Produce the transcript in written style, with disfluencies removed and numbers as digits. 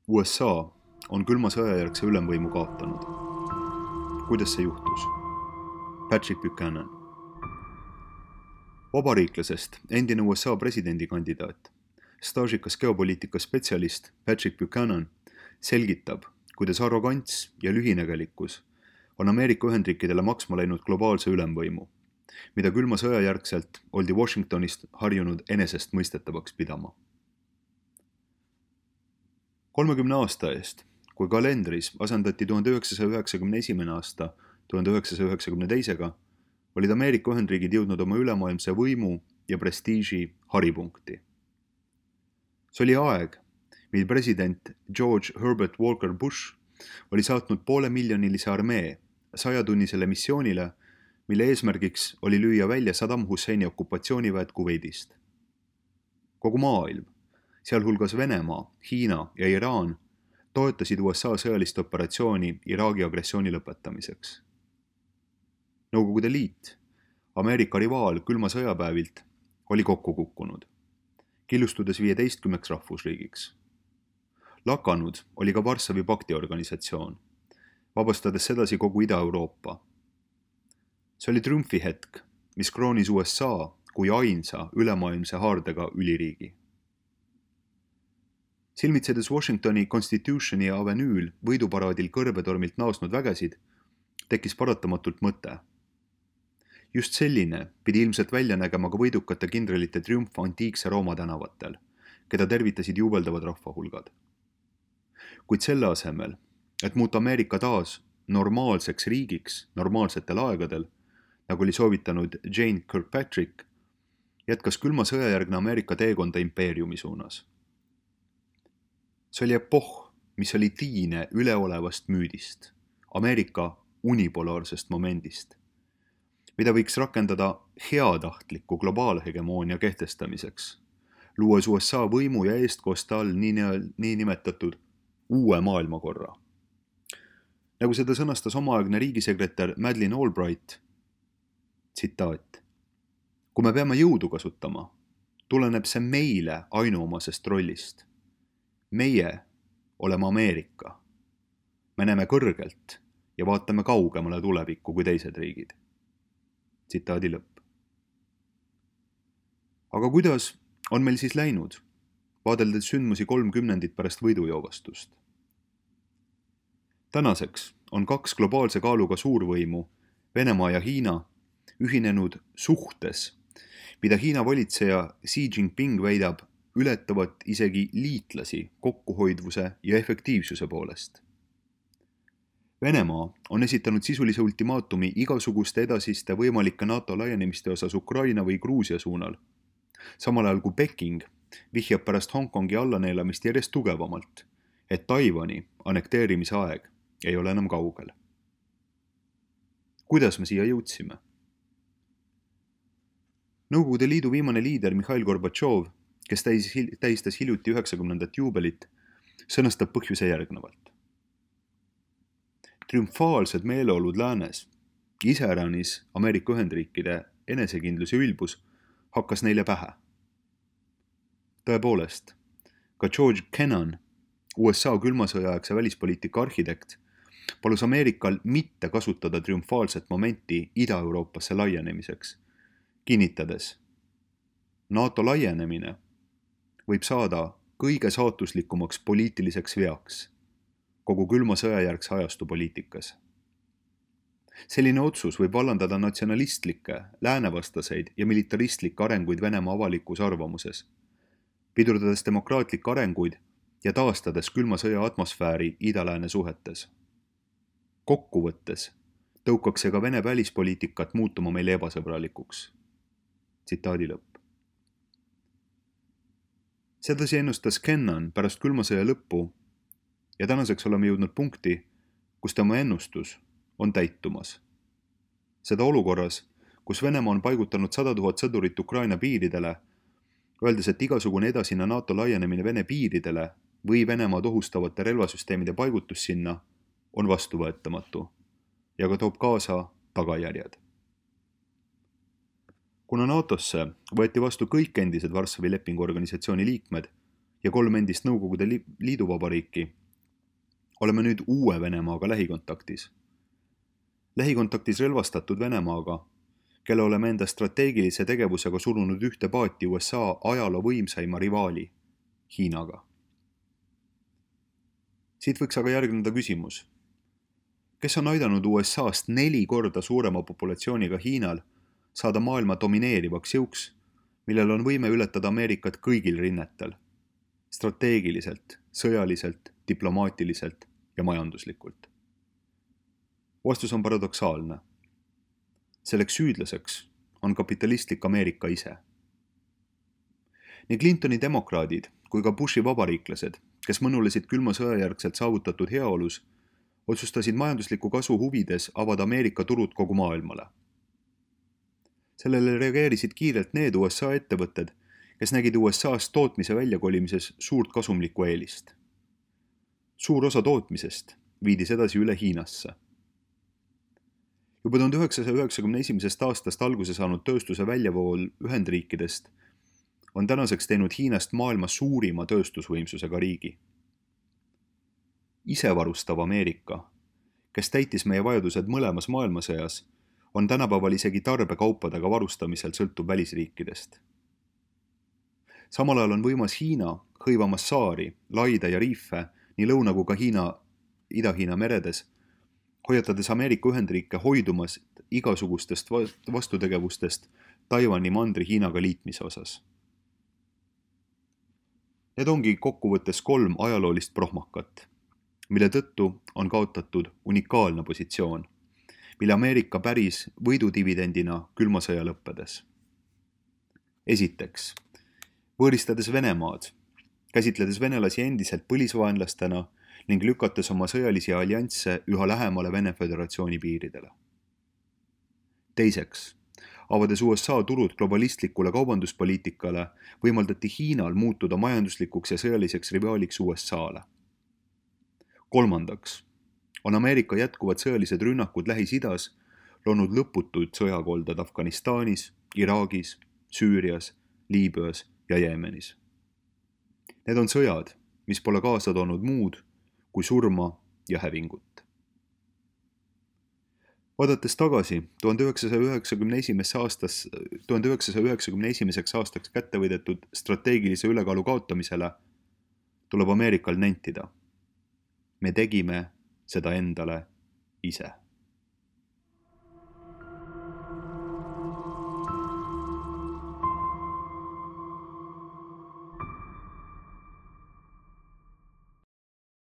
USA on külma sõjajärgse ülemvõimu kaotanud. Kuidas see juhtus? Patrick Buchanan. Vabariiklasest endine USA presidendikandidaat, staažikas geopoliitika spetsialist Patrick Buchanan selgitab, kuidas arrogants ja lühinägelikkus on Ameerika Ühendriikidele maksma läinud globaalse ülemvõimu, mida külma sõjajärgselt oldi Washingtonist harjunud enesestmõistetavaks pidama. 30 aasta eest, kui kalendris asendati 1991. aasta 1992-ga, olid Ameerika Ühendriigid jõudnud oma ülemaailmse võimu ja prestiiži haripunkti. See oli aeg, mil president George Herbert Walker Bush oli saatnud 500,000-miljonilise armee 100-tunnisele missioonile, mille eesmärgiks oli lüüa välja Saddam Husseini okupatsiooniväed Kuveidist. Kogu maailm, sealhulgas Venemaa, Hiina ja Iraan, toetasid USA sõjalist operatsiooni Iraagi agressiooni lõpetamiseks. Nõukogude Liit, Ameerika rivaal külma sõjapäevilt, oli kokku kukkunud, killustudes 15 rahvusriigiks. Lakanud oli ka Varssavi pakti organisatsioon, vabastades sedasi kogu Ida-Euroopa. See oli triumfihetk, mis kroonis USA kui ainsa ülemaailmse haardega üliriigi. Silmitsedes Washingtoni Constitutioni avenüül võiduparaadil kõrbetormilt naasnud vägesid, tekkis paratamatult mõte. Just selline pidi ilmselt välja nägema ka võidukate kindralite triumf antiikse Rooma tänavatel, keda tervitasid juubeldavad rahvahulgad. Kuid selle asemel, et muuta Ameerika taas normaalseks riigiks normaalsetel aegadel, nagu oli soovitanud Jane Kirkpatrick, jätkas külma sõjajärgne Ameerika teekonda impeeriumi suunas. See oli epohh, mis oli tiine üleolevast müüdist, Ameerika unipolaarsest momendist, mida võiks rakendada heatahtliku globaalhegemoonia kehtestamiseks, luues USA võimu ja eestkoste all niinimetatud uue maailmakorra. Nagu seda sõnastas omaaegne riigisekretär Madeleine Albright, tsitaat: kui me peame jõudu kasutama, tuleneb see meile ainuomasest rollist. Meie oleme Ameerika. Me näeme kõrgelt ja vaatame kaugemale tulevikku kui teised riigid. Tsitaadi lõpp. Aga kuidas on meil siis läinud, vaadeldes sündmusi 30 pärast võidujoovastust? Tänaseks on 2 globaalse kaaluga suurvõimu, Venemaa ja Hiina, ühinenud suhtes, mida Hiina valitseja Xi Jinping väidab ületavat isegi liitlasi kokkuhoidvuse ja efektiivsuse poolest. Venemaa on esitanud sisulise ultimaatumi igasuguste edasiste võimalike NATO laienemiste osas Ukraina või Gruusia suunal, samal ajal kui Peking vihjab pärast Hongkongi allaneelamist järjest tugevamalt, et Taiwani annekteerimise aeg ei ole enam kaugel. Kuidas me siia jõudsime? Nõukogude Liidu viimane liider Mihhail Gorbatšov, kes tähistas hiljuti 90. juubelit, sõnastab põhjuse järgnevalt. Triumfaalsed meeleolud läänes, iseäranis Ameerika Ühendriikide enesekindlus ja ülbus, hakkas neile pähe. Tõepoolest, ka George Kennan, USA külmasõjaaegse välispoliitika arhitekt, palus Ameerikal mitte kasutada triumfaalset momenti Ida-Euroopasse laienemiseks, kinnitades: NATO laienemine võib saada kõige saatuslikumaks poliitiliseks veaks kogu külma sõjajärgse ajastu poliitikas. Selline otsus võib vallandada natsionalistlikke, läänevastaseid ja militaristlikke arenguid Venemaa avalikus arvamuses, pidurdades demokraatlikke arenguid ja taastades külma sõja atmosfääri ida-lääne suhetes. Kokkuvõttes tõukaks see ka Vene välispoliitikat muutuma meile ebasõbralikuks. Tsitaadi lõpp. Sedasi ennustas Kennan pärast külma sõja lõppu ja tänaseks oleme jõudnud punkti, kus tema ennustus on täitumas. Seda olukorras, kus Venemaa on paigutanud 100 000 sõdurit Ukraina piiridele, öeldes, et igasugune edasine NATO laienemine Vene piiridele või Venemaad ohustavate relvasüsteemide paigutus sinna on vastuvõetamatu ja ka toob kaasa tagajärjed. Kuna NATOsse võeti vastu kõik endised Varssavi lepingu organisatsiooni liikmed ja 3 endist Nõukogude Liiduvabariiki, oleme nüüd uue Venemaaga lähikontaktis. Lähikontaktis relvastatud Venemaaga, kelle oleme enda strateegilise tegevusega surunud ühte paati USA ajaloo võimsaima rivaali, Hiinaga. Siit võiks aga järgneda küsimus. Kes on aidanud USA-st 4 korda suurema populatsiooniga Hiinal saada maailma domineerivaks jõuks, millel on võime ületada Ameerikat kõigil rinnetel, strateegiliselt, sõjaliselt, diplomaatiliselt ja majanduslikult? Vastus on paradoksaalne. Selleks süüdlaseks on kapitalistlik Ameerika ise. Nii Clintoni demokraadid kui ka Bushi vabariiklased, kes mõnulesid külma sõjajärgselt saavutatud heaolus, otsustasid majandusliku kasu huvides avada Ameerika turud kogu maailmale. Sellele reageerisid kiirelt need USA ettevõtted, kes nägid USA-st tootmise väljakolimises suurt kasumlikku eelist. Suur osa tootmisest viidis edasi üle Hiinasse. Juba 1991. aastast alguse saanud tööstuse väljavool Ühendriikidest on tänaseks teinud Hiinast maailma suurima tööstusvõimsusega riigi. Isevarustav Ameerika, kes täitis meie vajadused mõlemas maailmasõjas, on tänapäeval isegi tarbekaupadega varustamisel sõltub välisriikidest. Samal ajal on võimas Hiina, hõivamas saari, laide ja riife nii lõuna kui ka Ida-Hiina meredes, hoiatades Ameerika Ühendriike hoidumas igasugustest vastutegevustest Taiwani mandri Hiinaga liitmise osas. Need ongi kokkuvõttes 3 ajaloolist prohmakat, mille tõttu on kaotatud unikaalne positsioon, mille Ameerika päris võidudividendina külma sõja lõppedes. Esiteks, võõristades Venemaad, käsitledes venelasi endiselt põlisvaenlastena ning lükates oma sõjalisi alliansse üha lähemale Vene Föderatsiooni piiridele. Teiseks, avades USA turud globalistlikule kaubanduspoliitikale, võimaldati Hiinal muutuda majanduslikuks ja sõjaliseks rivaaliks USA-le. Kolmandaks, on Ameerika jätkuvad sõjalised rünnakud Lähis-Idas loonud lõputuid sõjakolded Afganistanis, Iraagis, Süürias, Liibüas ja Jeemenis. Need on sõjad, mis pole kaasa toonud muud kui surma ja hävingut. Vaadates tagasi 1991. aastaks kätte võidetud strateegilise ülekaalu kaotamisele, tuleb Ameerikal nentida. Me tegime seda endale ise.